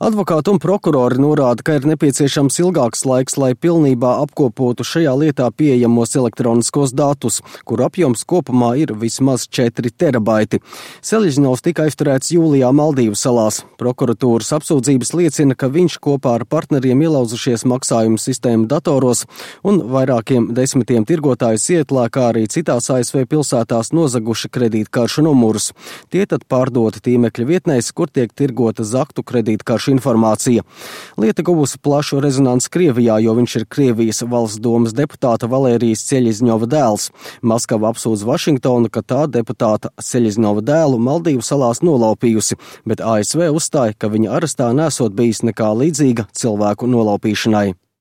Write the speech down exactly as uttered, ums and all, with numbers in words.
Advokāti un prokurori norāda, ka ir nepieciešams ilgāks laiks, lai pilnībā apkopotu šajā lietā pieejamos elektroniskos datus, kur apjoms kopumā ir vismaz četri terabaiti. Seļizņovs tika aizturēts jūlijā Maldīvu salās. Prokuratūras apsūdzības liecina, ka viņš kopā ar partneriem ielauzušies maksājumu sistēmu datoros un vairākiem desmitiem tirgotāju Sietlā, kā arī citās A S V pilsētās nozaguši kredītkaršu numurus. Tie tad pārdoti tīmekļa vietnēs, kur tiek tirgota zaktu kredītkaršu informācija. Lieta guvusi plašu rezonanci Krievijā, jo viņš ir Krievijas valsts domas deputāta Valērijas Seļizņova dēls. Maskava apsūdz Vašingtonu, ka tā deputāta Seļizņova dēlu Maldīvu salās nolaupījusi, bet A S V uzstāja, ka viņa arestā nesot bijis nekā līdzīga cilvēku nolaupīšanai.